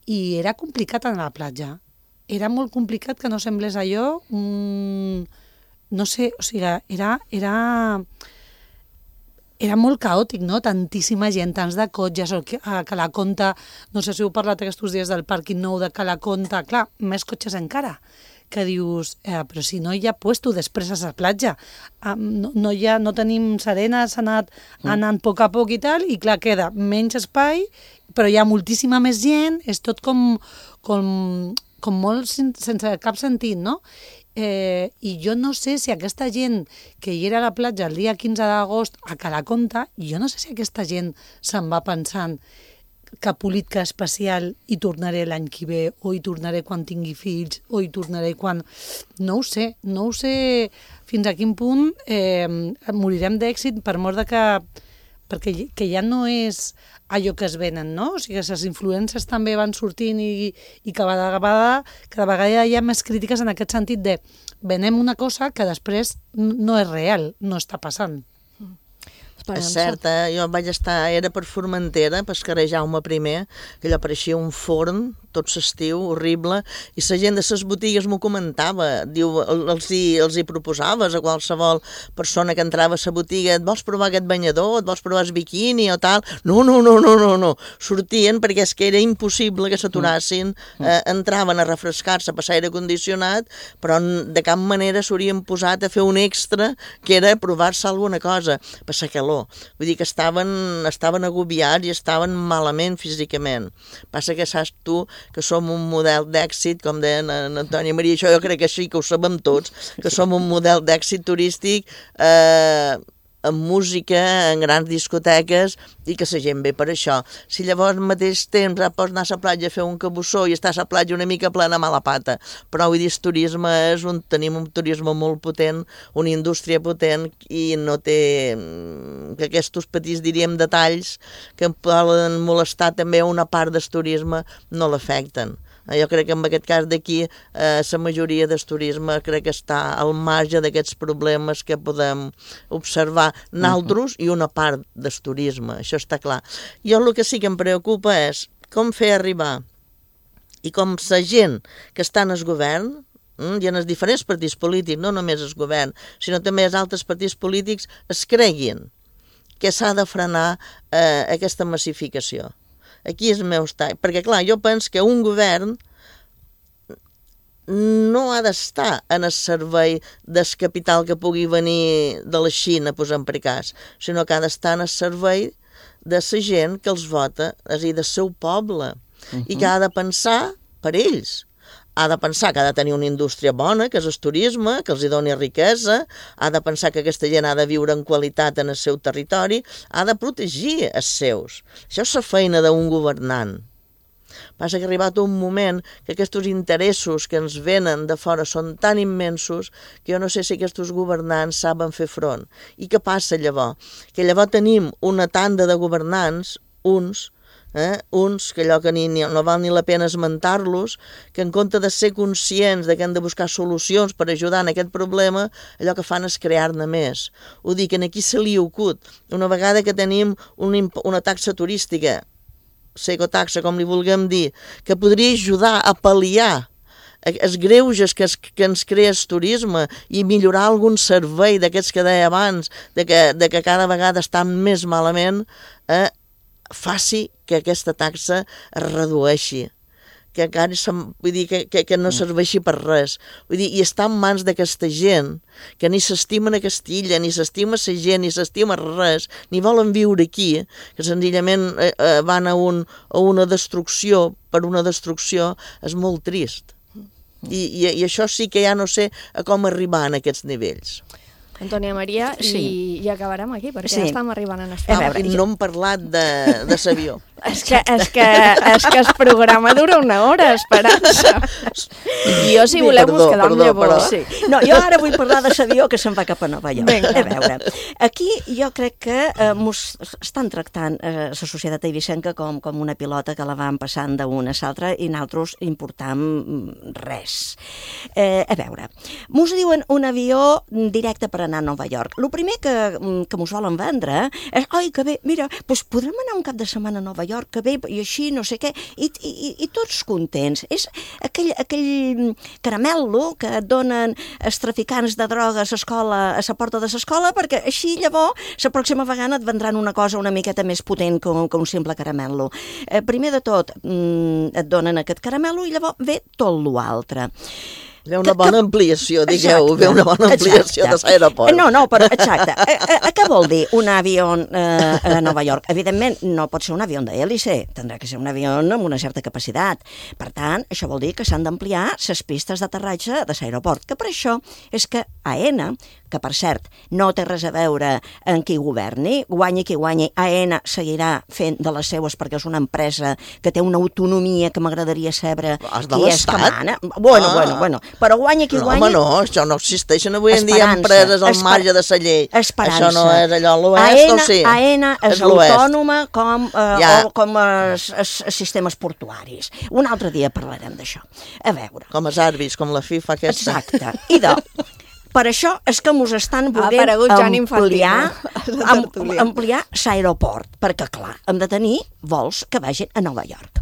i era complicat anar a la platja. Era molt complicat que no semblés allò, no sé, o sigui, era molt caòtic, no? Tantíssima gent, tants de cotxes, a Calaconta, no sé si heu parlat aquests dies del pàrquing nou de Calaconta, clar, més cotxes encara, que dius, però si no hi ha puesto després a la platja, no tenim serena, s'ha anat anant a poc i tal, i clar, queda menys espai, però hi ha moltíssima més gent, és tot com molt sense cap sentit, no? I jo no sé si aquesta gent que hi era a la platja el dia 15 d'agost a Calaconta, jo no sé si aquesta gent se'n va pensant que política especial hi tornaré l'any que ve, o hi tornaré quan tingui fills, o hi tornaré quan... No ho sé fins a quin punt morirem d'èxit per mort de perquè ja no és allò que es venen, no? O sigui, les influències també van sortint i cada vegada hi ha més crítiques en aquest sentit de venem una cosa que després no és real, no està passant. És cert, jo vaig estar, era per Formentera, per carrer Jaume I, que allò pareixia un forn, tot s'estiu, horrible, i la gent de les botigues m'ho comentava, diu, els hi proposaves a qualsevol persona que entrava a la botiga, et vols provar aquest banyador, et vols provar el biquini o tal? No, sortien perquè és que era impossible que s'aturassin, entraven a refrescar-se, a passar aire condicionat, però de cap manera s'haurien posat a fer un extra, que era provar-se alguna cosa, per la calor. Vull dir que estaven agobiats i estaven malament físicament. Passa que saps tu que som un model d'èxit, com deia Antònia Maria, això jo crec que sí, que ho sabem tots, que som un model d'èxit turístic amb música, en grans discoteques, i que la gent ve per això. Si llavors al mateix temps pots anar a la platja a fer un cabussó i estar a la platja una mica plena a mala pata, però vull dir, el turisme tenim un turisme molt potent, una indústria potent, i no té que aquests petits, diríem, detalls que poden molestar també una part del turisme no l'afecten. Jo crec que en aquest cas d'aquí la majoria del turisme crec que està al marge d'aquests problemes que podem observar nosaltres i una part del turisme, això està clar. Jo el que sí que em preocupa és com fer arribar i com la gent que està en el govern i en els diferents partits polítics, no només el govern, sinó també els altres partits polítics, es creguin que s'ha de frenar aquesta massificació. Aquí és el meu estat, perquè clar, jo penso que un govern no ha d'estar en el servei del capital que pugui venir de la Xina, posem per cas, sinó que ha d'estar en el servei de la gent que els vota, és a dir, del seu poble, i que ha de pensar per ells. Ha de pensar que ha de tenir una indústria bona, que és el turisme, que els hi doni riquesa, ha de pensar que aquesta gent ha de viure en qualitat en el seu territori, ha de protegir els seus. Això és la feina d'un governant. Passa que ha arribat un moment que aquests interessos que ens venen de fora són tan immensos que jo no sé si aquests governants saben fer front. I què passa llavors? Que llavors tenim una tanda de governants, uns que allò que no val ni la pena esmentar-los, que en compte de ser conscients de que hem de buscar solucions per ajudar en aquest problema, allò que fan és crear-ne més. Ho dic, aquí se li acut. Una vegada que tenim una taxa turística, ecotaxa, com li vulguem dir, que podria ajudar a pal·liar els greuges que ens crea el turisme i millorar algun servei d'aquests que deia abans, de que cada vegada estan més malament, faci que aquesta taxa es redueixi, que encara vull dir, que no serveixi per res. Vull dir, i està en mans d'aquesta gent que ni s'estimen aquesta illa, ni s'estima la gent, ni s'estima res, ni volen viure aquí, que senzillament van a una destrucció per una destrucció, és molt trist. I això sí que ja no sé a com arribar a aquests nivells. Antònia Maria, i acabarem aquí, perquè ja estem arribant a l'espai. No hem parlat de l'avió. És que el programa dura una hora, Esperança. Jo, si voleu, us quedam llavors. No, jo ara vull parlar de l'avió que se'n va cap a Nova York. A veure, aquí jo crec que estan tractant la societat eivissenca com una pilota que la van passant d'una a l'altra i nosaltres importam res. A veure, mos diuen un avió directe per anar a Nova York. El primer que mos volen vendre és, oi, que bé, mira, doncs podrem anar un cap de setmana a Nova York, que bé, i així, no sé què, i tots contents. És aquell caramel·lo que et donen els traficants de drogues a la porta de l'escola, perquè així llavors la pròxima vegada et vendran una cosa una miqueta més potent que un simple caramel·lo. Primer de tot et donen aquest caramel·lo i llavors ve tot l'altre. Ve una bona ampliació, digueu, ve una bona ampliació de l'aeroport. No, però exacte. Què vol dir un avió a Nova York? Evidentment, no pot ser un avió d'hèlice, tindrà que ser un avió amb una certa capacitat. Per tant, això vol dir que s'han d'ampliar les pistes d'aterratge de l'aeroport, que per això és que AENA, que per cert no té res a veure en qui governi, guanyi qui guanyi, AENA seguirà fent de les seues perquè és una empresa que té una autonomia que m'agradaria saber qui és que mana. Bueno, però guanyi qui guanyi... Home, no, això no existeixen avui en dia empreses al marge de la llei. Esperança. Això no és allò, l'oest, o sí? AENA és autònoma com els sistemes portuaris. Un altre dia parlarem d'això. A veure... Com els àrbits, com la FIFA aquesta. Exacte. Idò. Per això és que ens estan volent ampliar l'aeroport, perquè, clar, hem de tenir vols que vagin a Nova York.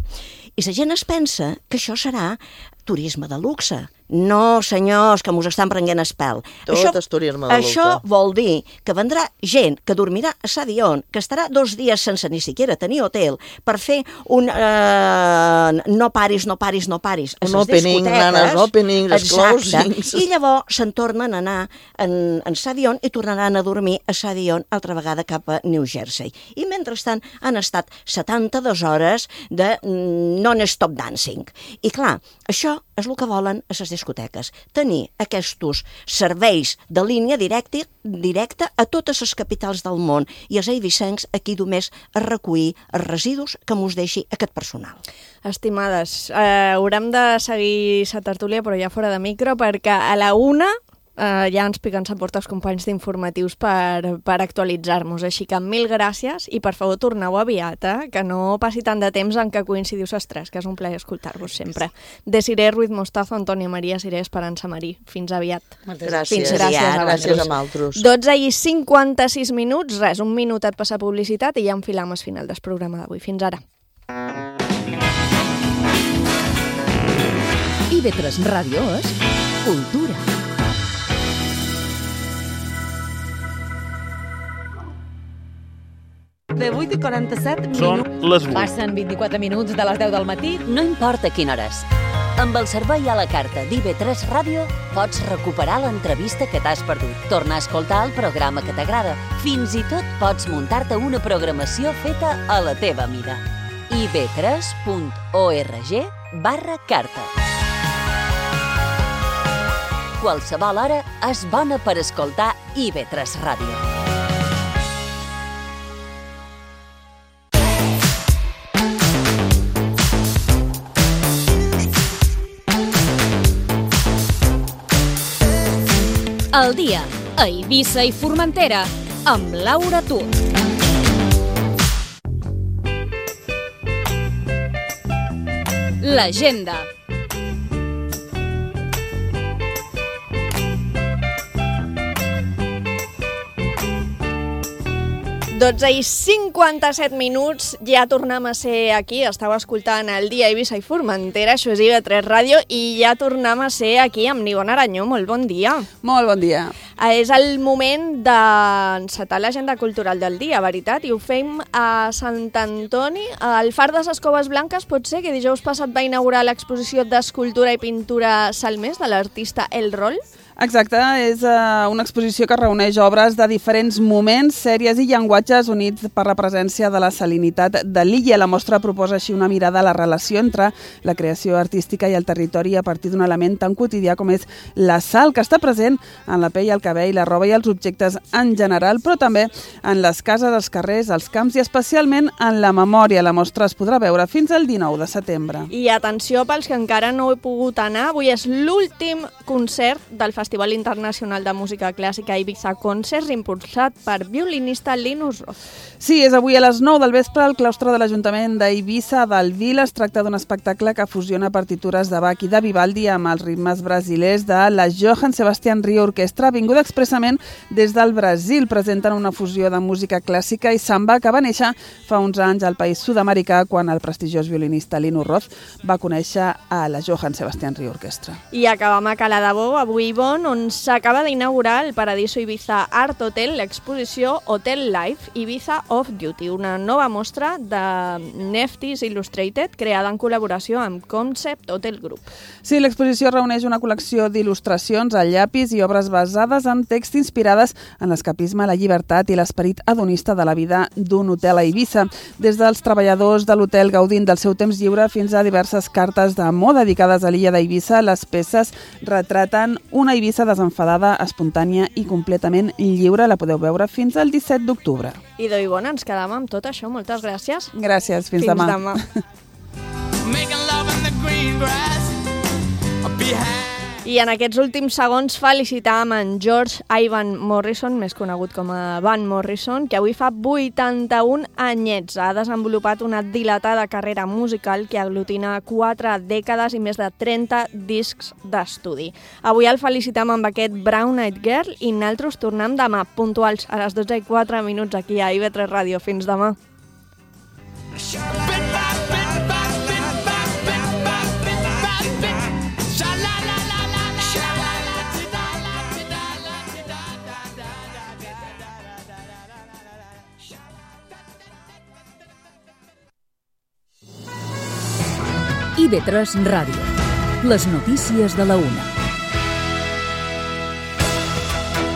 I la gent es pensa que això serà turisme de luxe. No, senyors, que mos estan prenent el pèl. Tot és turisme de luxe. Això vol dir que vendrà gent que dormirà a l'avió, que estarà 2 dies sense ni siquiera tenir hotel, per fer un no paris. Un opening, nanes, openings, els closings. I llavors se'n tornen a anar en l'avió i tornaran a dormir a l'avió altra vegada cap a New Jersey. I mentrestant han estat 72 hores de non-stop dancing. I clar, això és el que volen a les discoteques, tenir aquests serveis de línia directa a totes les capitals del món i els eivissencs aquí només a recollir els residus que mos deixi aquest personal. Estimades, haurem de seguir la tertúlia però ja fora de micro perquè a la 1 ja ens piquen la porta els companys d'informatius per actualitzar-nos, així que 1000 gràcies i per favor torneu aviat, que no passi tant de temps en què coincidiu les tres, que és un plaer escoltar-vos sempre. Desiré Ruiz Mostazo, Antònia Maria, Siré Esperança Marí. Fins aviat. Gràcies. Gràcies a altres. 12:56 minuts, res, un minutet per la publicitat i ja enfilam al final del programa d'avui. Fins ara. IB3 Ràdio és cultura. De 8:47 minuts. Són les 8. Passen 24 minuts de les 10 del matí. No importa quina hora és. Amb el servei a la carta d'IB3 Ràdio pots recuperar l'entrevista que t'has perdut, tornar a escoltar el programa que t'agrada. Fins i tot pots muntar-te una programació feta a la teva mida. ib3.org/carta. Qualsevol hora és bona per escoltar IB3 Ràdio. El dia a Eivissa i Formentera amb Laura Tur. L'agenda. Dotze i 57 minuts, ja tornem a ser aquí, estàu escoltant el dia a Eivissa i Formentera, això és IB3 Ràdio, i ja tornem a ser aquí amb Nivona Aranyó. Molt bon dia. Molt bon dia. És el moment d'encetar l'agenda cultural del dia, veritat, i ho fem a Sant Antoni. El Far de les Coves Blanques pot ser que dijous passat va inaugurar l'exposició d'escultura i pintura Salmés de l'artista El Rol. Exacte, és una exposició que reuneix obres de diferents moments, sèries i llenguatges units per la presència de la salinitat de l'illa. La mostra proposa així una mirada a la relació entre la creació artística i el territori a partir d'un element tan quotidià com és la sal, que està present en la pell, el cabell, la roba i els objectes en general, però també en les cases, els carrers, els camps i especialment en la memòria. La mostra es podrà veure fins al 19 de setembre. I atenció pels que encara no he pogut anar, avui és l'últim concert del Festival Internacional de Música Clàssica Ibiza Concerts, impulsat per violinista Linus Roth. Sí, és avui a les 9 del vespre al claustre de l'Ajuntament d'Eivissa del Vila. Es tracta d'un espectacle que fusiona partitures de Bach i de Vivaldi amb els ritmes brasilers de la Johann Sebastian Rio Orquestra, vinguda expressament des del Brasil. Presenten una fusió de música clàssica i samba que va néixer fa uns anys al país sud-americà quan el prestigiós violinista Linus Roth va conèixer a la Johann Sebastian Rio Orquestra. I acabam a Cala de Bou, avui Bon, on s'acaba d'inaugurar el Paradiso Ibiza Art Hotel, l'exposició Hotel Life Ibiza Off Duty, una nova mostra de Neftis Illustrated creada en col·laboració amb Concept Hotel Group. Sí, l'exposició reuneix una col·lecció d'il·lustracions a llapis i obres basades en text inspirades en l'escapisme, la llibertat i l'esperit hedonista de la vida d'un hotel a Eivissa. Des dels treballadors de l'hotel gaudint del seu temps lliure fins a diverses cartes d'amor dedicades a l'illa d'Eivissa, les peces retraten una Eivissa desenfadada, espontània i completament lliure. La podeu veure fins al 17 d'octubre. I d'oi bona, ens quedam amb tot això. Moltes gràcies. Gràcies, fins demà. Demà. I en aquests últims segons felicitàvem en George Ivan Morrison, més conegut com a Van Morrison, que avui fa 81 anyets. Ha desenvolupat una dilatada carrera musical que aglutina 4 dècades i més de 30 discs d'estudi. Avui el felicitam amb aquest Brown Eyed Girl i nosaltres tornem demà, puntuals a les 12:04 aquí a IB3 Ràdio. Fins demà. IB3 Ràdio. Les notícies de la 1.